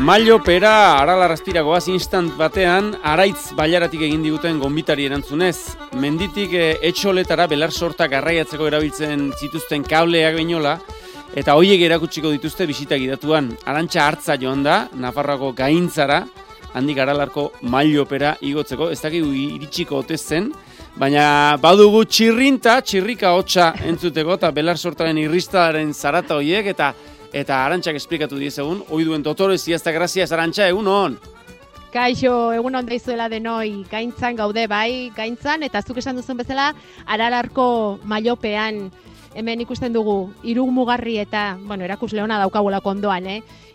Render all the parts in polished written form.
Mailo pera Aralarrastira goaz instant batean Araitz Bailaratik egin diguten gonbitari erantzunez. Menditik etxoletara belar sorta garraiatzeko erabiltzen zituzten kableak beinola eta hoiek erakutsiko dituzte bisita gidatuan. Arantxa Hartza joan da Nafarroako Gaintzara, handik Aralarko Mailo pera igotzeko. Ez dakigu iritsiko ote zen, baina badugu txirrika hotsa entzuteko eta belar sortaren irristaren zarata hoiek eta Arantxak esplikatu diezegun, hoi duen dotore ziazta graziaz, Arantxa, egun hon? Kaixo, egun hon daizuela denoi, Gaintzan gaude bai, Gaintzan, eta zuk esan duzun bezala, Aralarko Mailopean, hemen ikusten dugu, Irumugarrieta, erakusle hona daukagulako ondoan,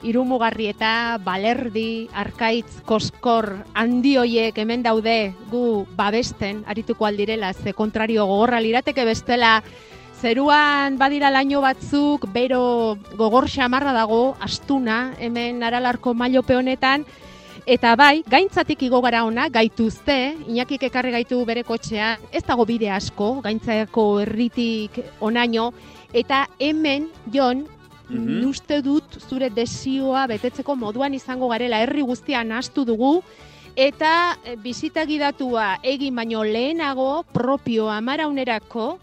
Irumugarrieta, Balerdi, Arkaitz, Koskor, handi hoiek hemen daude gu babesten, arituko aldirela, ze kontrario gogorra lirateke bestela, zeruan badira laino batzuk, bero gogor xamarra dago, astuna, hemen Aralarko Mailope honetan, eta bai, Gaintzatik igo gara ona, gaituzte, Iñakik ekarri gaitu bere kotxean, ez dago bide asko, Gaintzako herritik onaino, eta hemen, Jon, uste dut zure desioa betetzeko moduan izango garela, herri guztian nahastu dugu, eta bisita gidatua egin baino lehenago, propio amaraunerako,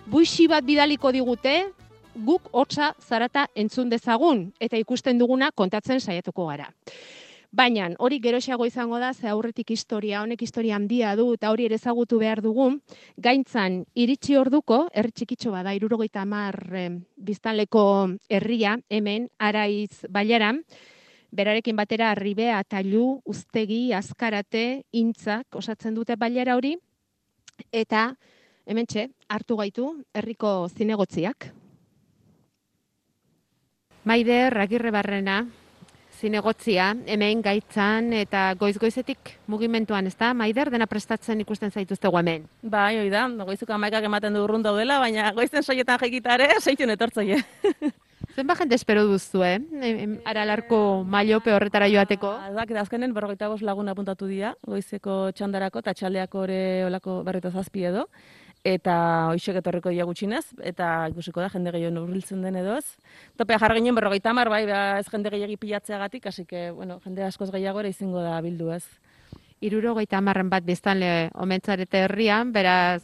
buixi bat bidaliko digute, guk hotza zarata entzun dezagun, eta ikusten duguna kontatzen saiatuko gara. Baina, hori geroxeago izango da, ze aurretik honek historia handia du, eta hori ere ezagutu behar dugu, Gaintzan iritsi orduko, herri txikitxo bada, 70 biztanleko herria, hemen, Araiz Bailaran, berarekin batera Arribea, Tailu, Uztegi, Azkarate, Intzak osatzen dute Bailara hori, eta hementxe, hartu gaitu, herriko zinegotziak. Maider Agirrebarrena, zinegotzia, hemen Gaitzan eta goiz-goizetik mugimenduan, ez da? Maider, dena prestatzen ikusten zaituztegu hemen. Bai, hoi da, goizuko 11ak ematen du urrun daudela, baina goizen soietan jaikitare, seitun etortzaile. Zenba jende espero duzu, Aralarko Mailope horretara joateko? Azkenen 45 lagun apuntatu dira, goizeko txandarako eta txaldeako ere olako 27 edo. Eta hoixek etorriko dira gutxinez, eta ikusiko da jende gehiago hurbiltzen den edo ez. Topea jarri ginen 50, bai, ez jende gehiagi pilatzeagatik, hasi que, jende askoz gehiago ere izango da bildu ez. 70 bat biztanle omentzarete herrian, beraz,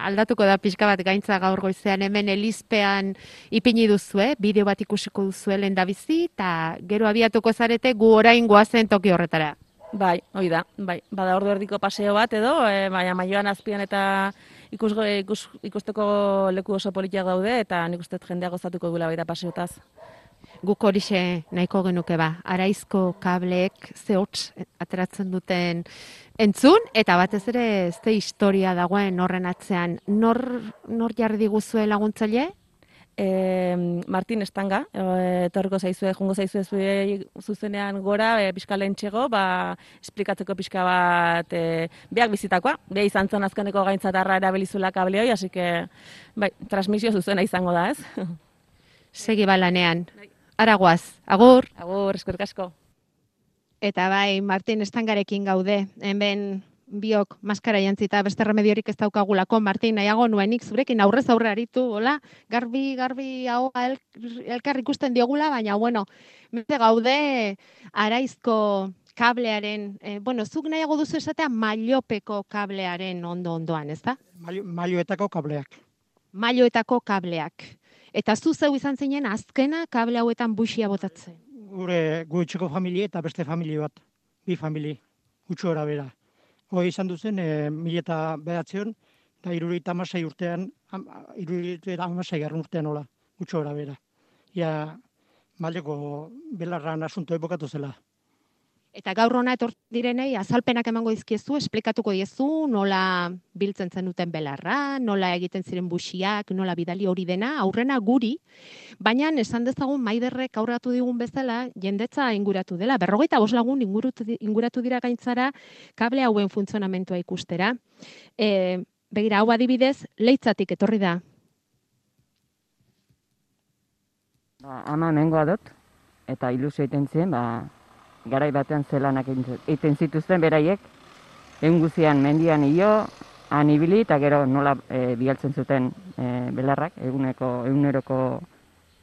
aldatuko da pixka bat Gaintza gaur goizean hemen Elizpean ipini duzue, bideo bat ikusiko duzue lehendabizi, eta gero abiatuko zarete gu orain goazen toki horretara. Bai, hoi da, bai. Bada ordu erdiko paseo bat edo, baina Maioan azpian eta ikusteko leku oso politiak daude, eta nik uste jendea gozatuko duela baita paseotaz. Guk horixe nahiko genuke ba, Araizko kableek zehots ateratzen duten entzun, eta batez ere ze historia dagoen horren atzean. Nor jarri diguzue laguntzaile? Martin Estanga, etorriko zaizue, jungo zaizue zuzenean gora, pixka lehentxego, esplikatzeko pixka bat beak bizitakoa. Beha izan zon azkeneko Gaintzatarra erabilizula kableoi, hasi que, bai, transmisio zuzena izango da, ez? Segi balanean. Aragoaz, agur! Agur, eskerrik asko. Eta bai, Martin Estangarekin gaude, hemen biok maskara jantzita beste remediorik ez daukagulako. Martin, nahiago nuenik zurekin aurrez aurre aritu, hola, garbi hau elkar ikusten diogula, baina, beste gaude Araizko kablearen, zuk nahiago duzu esatea Mailopeko kablearen ondoan, ez da? Mailoetako kableak. Mailoetako kableak. Eta zu zeu izan zinen azkena kable hauetan buixia botatzen? Gure gutxeko familie eta beste familie bat, bi familie, gutxo era bera. Hoi izan duzen, 2009 eta 76 urtean, 76 garrun urtean hola, gutxo era bera. Ia, Mailoko belarran asunto epokatu zela. Eta gaur hona etortzen direnei azalpenak emango dizkiezu, esplikatuko diezu, nola biltzen zen duten belarra, nola egiten ziren buxiak, nola bidali hori dena, aurrena guri, baina esan dezagun Maiderrek aurratu digun bezala, jendetza inguratu dela. 45 lagun inguratu dira Gaintzara kable hauen funtzionamentua ikustera. Begira, hau adibidez, Leitzatik etorri da. Ama hemengoa dut, eta ilusio egiten zien, garai batean zelanak egiten zituzten beraiek, egun guzian mendian hilo, han ibili eta gero nola bialtzen zuten belarrak, eguneroko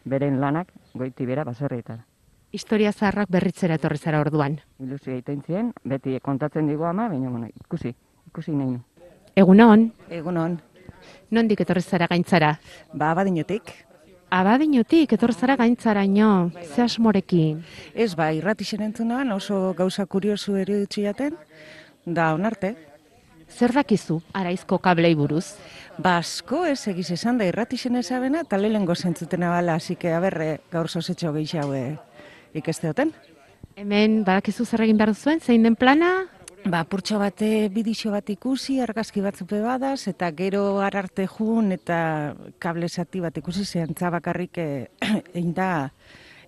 beren lanak, goiti bera baserrietara. Historia zaharrak berritzera etorri zara orduan. Ilusio egiten zien, beti kontatzen digu ama, baina bueno, ikusi nahi nu. Egunon, Egunon, nondik etorri zara Gaintzara? Abadiñotik. Abadiñotik etorri zara Gaintzaraino, ze asmorekin. Ez irratixen entzunan oso gauza kuriosu eruditzu jaten, da onarte. Zer dakizu Araizko kablei buruz? Asko ez egiz esan da irratixen ezabena, eta lehengo zentzutena bala, hasi que aberre gaur zozetxo gehiago ikesteoten. Hemen badakizu zer egin behar duzuen, zein den plana? Purtxo bate bidixo bat ikusi, argazki batzupe badaz, eta gero ararte jun eta kable zati bat ikusi zehantza bakarrik egin da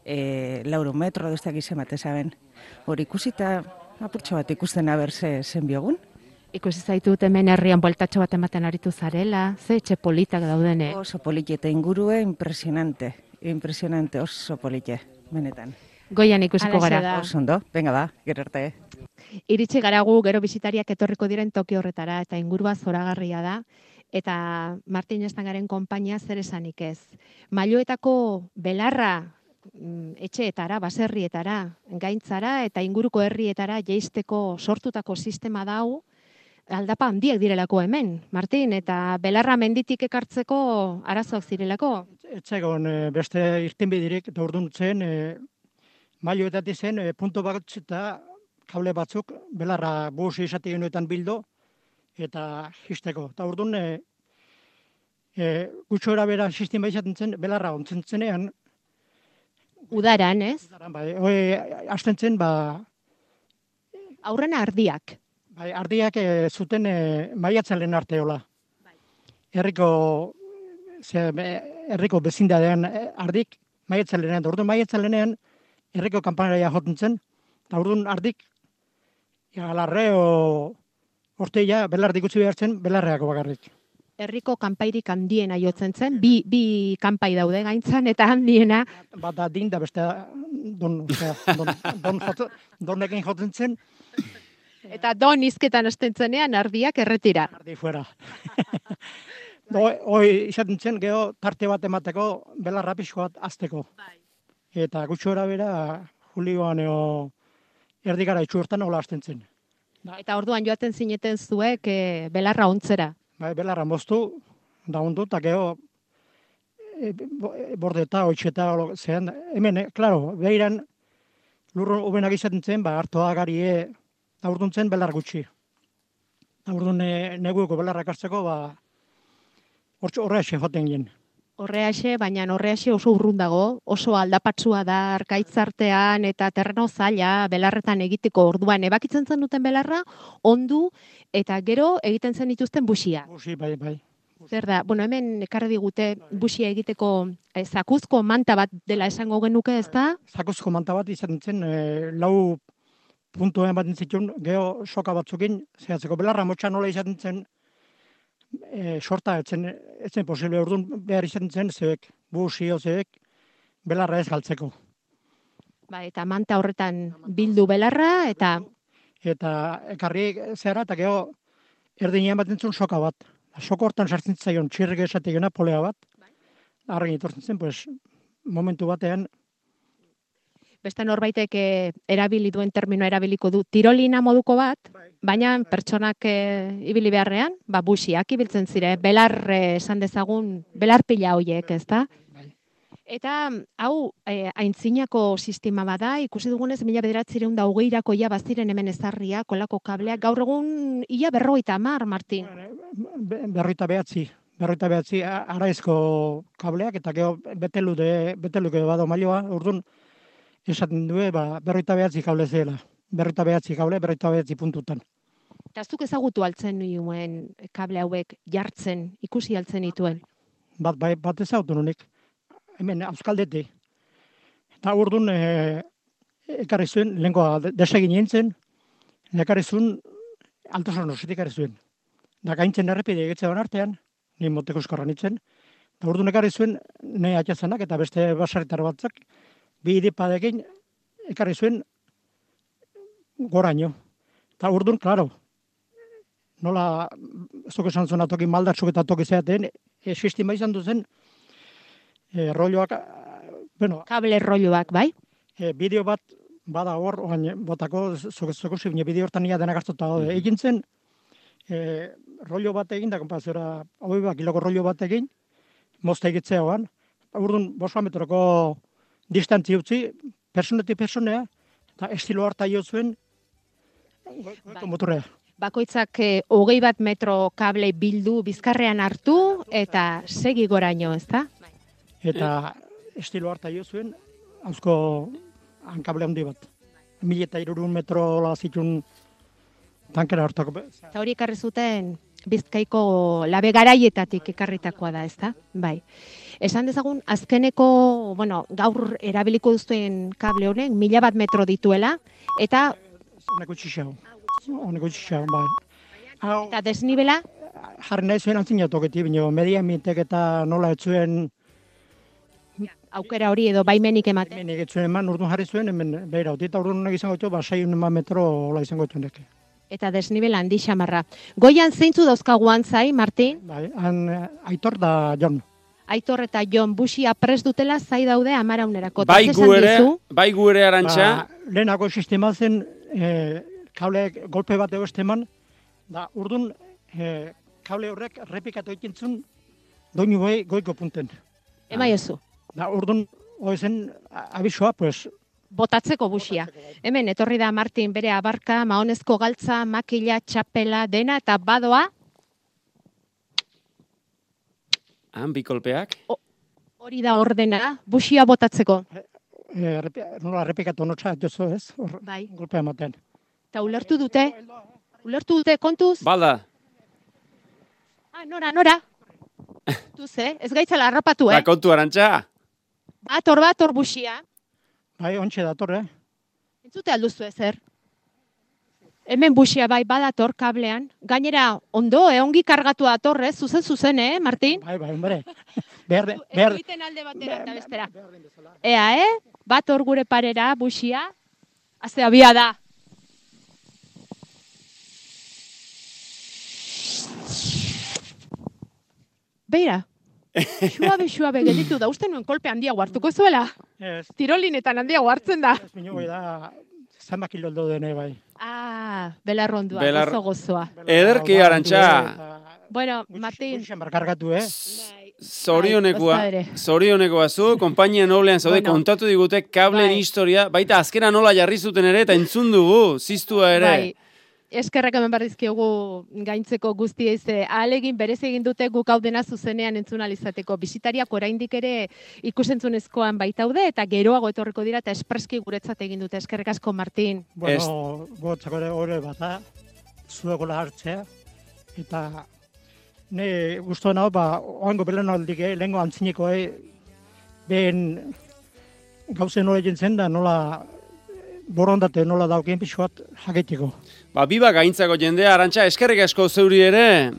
4 metro duzteak izan bat ezaben. Hori ikusi eta purtxo bat ikusten aberze zen biogun. Ikusi zaitut hemen herrian bueltatxo bat ematen aritu zarela, ze etxe politak daudene. Oso polite eta ingurue impresionante, oso polite, benetan. Goian ikusiko Halaxe gara. da. Oso ondo, venga ba, gero arte. Iritsi gara gu gero bisitariak etorriko diren toki horretara eta ingurua zoragarria da. Eta Martin Estangaren konpainia zer esanik ez. Mailoetako belarra etxeetara, baserrietara, Gaintzara eta inguruko herrietara jeisteko sortutako sistema dau, aldapa handiak direlako hemen, Martin, eta belarra menditik ekartzeko arazoak zirelako. Etzegon beste irtenbiderik, eta orduan zen, mailoetatik zen, punto bat eta kable batzuk, belarra bus izate genuetan bildo, eta jisteko. Eta orduan, gutxora bera sistema izaten zen, belarra ontzen zenean, Udaran, ez? hasten zen, Aurrena ardiak. ardiak zuten maiatzalen arteola. Herriko bezindadean ardik maiatzalenean. Orduan maiatzalenean herriko kanpanaria joten zen, eta orduan ardik galarre orteia belardik utzi behar zen belarreako bakarrik. Herriko kanpairik handiena jotzen zen, bi kanpai daude Gaintzan eta handiena. Bata din da beste donekin joten zen, Eta don izketan hasten zenean ardiak erretira. ardi fuera. Hoi izaten zen, geho tarte bat emateko belarra pixko bat azteko. Eta gutxora bera, julioan erdikara itxurtan hola hasten zen. Eta orduan joaten zineten zuek belarra ontzera. Belarra moztu, da ondu, eta geho bordeta, oitxeta, zean, hemen, klaro, behiran lurro ubenak izaten zen, hartoa garie, da urdun zen belar gutxi. Da urdun negueko belarrak hartzeko, horreaxe joten gien. Horreaxe, baina horreaxe oso urrun dago, oso aldapatsua da arkaitzartean eta terreno zaila belarretan egiteko orduan ebakitzen zen duten belarra, ondu eta gero egiten zen dituzten buxia. Buxi, bai. Zer da, hemen ekarri digute buxia egiteko zakuzko manta bat dela esango genuke, ez da? Zakuzko manta bat izaten zen, lau puntoen bat nintzitun, geho soka batzukin, zehatzeko belarra motxa nola izaten zen, sorta etzen posible, orduan behar izaten zen, zebek, busio zebek, belarra ez galtzeko. Eta manta horretan bildu belarra, eta ekarri zehara, eta geho erdinean bat nintzun soka bat. Soko hortan sartzen zaion txirrik esategena polea bat, arren itortzen zen, momentu batean, beste norbaitek erabili duen terminoa erabiliko du tirolina moduko bat, baina pertsonak ibili beharrean, buxiak ibiltzen zire, belar esan dezagun, belarpila hoiek, ez da? Eta hau aintzinako sistema bada, ikusi dugunez 1920ko ia baziren hemen ezarria, kolako kableak, gaur egun ia 50, Martin. Berroita behatzi Araizko kableak, eta geho beteluke bado mailoa, orduan, esaten du, 49 kable zela. 49 kable, 49 puntutan. Eta zuk ezagutu altzen nuen kable hauek jartzen, ikusi altzen dituen? Bat ezagutu nunik. Hemen, Euskaldeti. Eta orduan, ekarri zuen, lehenkoa desegin nintzen, ekarri zuen, Altosan ositik ekarri zuen. Da Gaintzen errepide egetzean artean, ni moteko eskorra nintzen, eta orduan ekarri zuen, nahi atxazanak eta beste basarritar batzak, bi idipadekin ekarri zuen goraino. Eta orduan, klaro, nola, zuk esan zuen toki maldatzuk eta toki zeaten, sistema izan duzen, rolloak, Kable rolloak, bai? bideo bat, bada hor, botako, zokusi, bideo hortan nia denak hartuta daude. Egin zen, rollo bat egin, da, kompazioa, kiloko rollo bat egin, mozta egitzea hoan. Urduan, 5 metroko distantzi utzi, personetik personea, eta estilo harta jo zuen, goiko motorrea. Bakoitzak 21 metro kable bildu bizkarrean hartu eta segi goraino, ezta? Eta estilo harta jo zuen, hauzko hankable handi bat. 1300 metro zituen tankera hartako. Eta hori ekarri zuten Bizkaiko labe garaietatik ekarritakoa da, ezta? Bai. Esan dezagun, azkeneko, gaur erabiliko duzuen kable honek 1000 metro dituela, eta... Honeko txixago, bai. Eta desnibela? Jarri nahi zuen antzinatoketi, bino, media mintek eta nola etzuen... Aukera hori edo baimenik ematen? Baimenik etzuen eman, urduan jarri zuen, hemen behira, eta urduan honek izango txo, 6 metro hola izango txunek. Eta desnibela handi xamarra. Goian zeintzu dauzkagu antzai, Martin? Bai, Aitor da Jon. Aitor eta Jon busia prest dutela zai daude amaraunerako. Bai gu ere Arantxa. Lehenako sistema zen, kableek golpe bat eman, da urdun kable horrek repikatu ekintzun doinu goiko punten. Emaiozu. Da urdun zen abisoa, pues... Botatzeko busia. Hemen, etorri da Martin bere abarka, mahonezko galtza, makila, txapela, dena, eta badoa? Bi kolpeak. Hori da ordena, busia botatzeko. Nola repikatu notxa, jozo ez? Bai. Golpea ematen. Eta ulertu dute? Kontuz? Balda. Nora. Tuze, ez gaitzala harrapatu, Ba, kontu Arantxa. Bator busia. Bai, ontxe dator, Entzute alduzu ezer? Hemen busia bai badator kablean. Gainera, ondo, ongi kargatu dator, zuzen, Martin? Bai, hombre. Egiten alde batera eta bestera. Ea, bator gure parera, busia. Azte abia da. Beira. Suabe gelditu da, uste nuen kolpe handiago hartuko zuela. Tirolinetan handiago hartzen da. Ez minio da, zama kiloldo dene bai. Belarrondua, gozoa. Ederki Arantxa. Bueno, Martin. Kargatu, Zorionekoa zu, konpainia noblean zaude, kontatu digute kableen historia, baita azkena nola jarri zuten ere, eta entzun dugu, ziztua ere. Bai. Eskerrak hemen barrizkiogu gaintzeko guztiei ahalegin berez egin dute guk hau dena zuzenean entzun alizateko. Bisitariak oraindik ere ikusentzunezkoan baitaude eta geroago etorriko dira eta espreski guretzat egin dute. Eskerrik asko, Martin. Bueno, gotzako ere bata, zuegola hartzea, eta ne guztuen hau, oango belen aldik, lehenko antzineko, behen gauzen nola egin zen da, nola borondate nola daukien pixu bat jaketiko. Biba gaintzako jendea, Arantxa, eskerrik asko zeuri ere.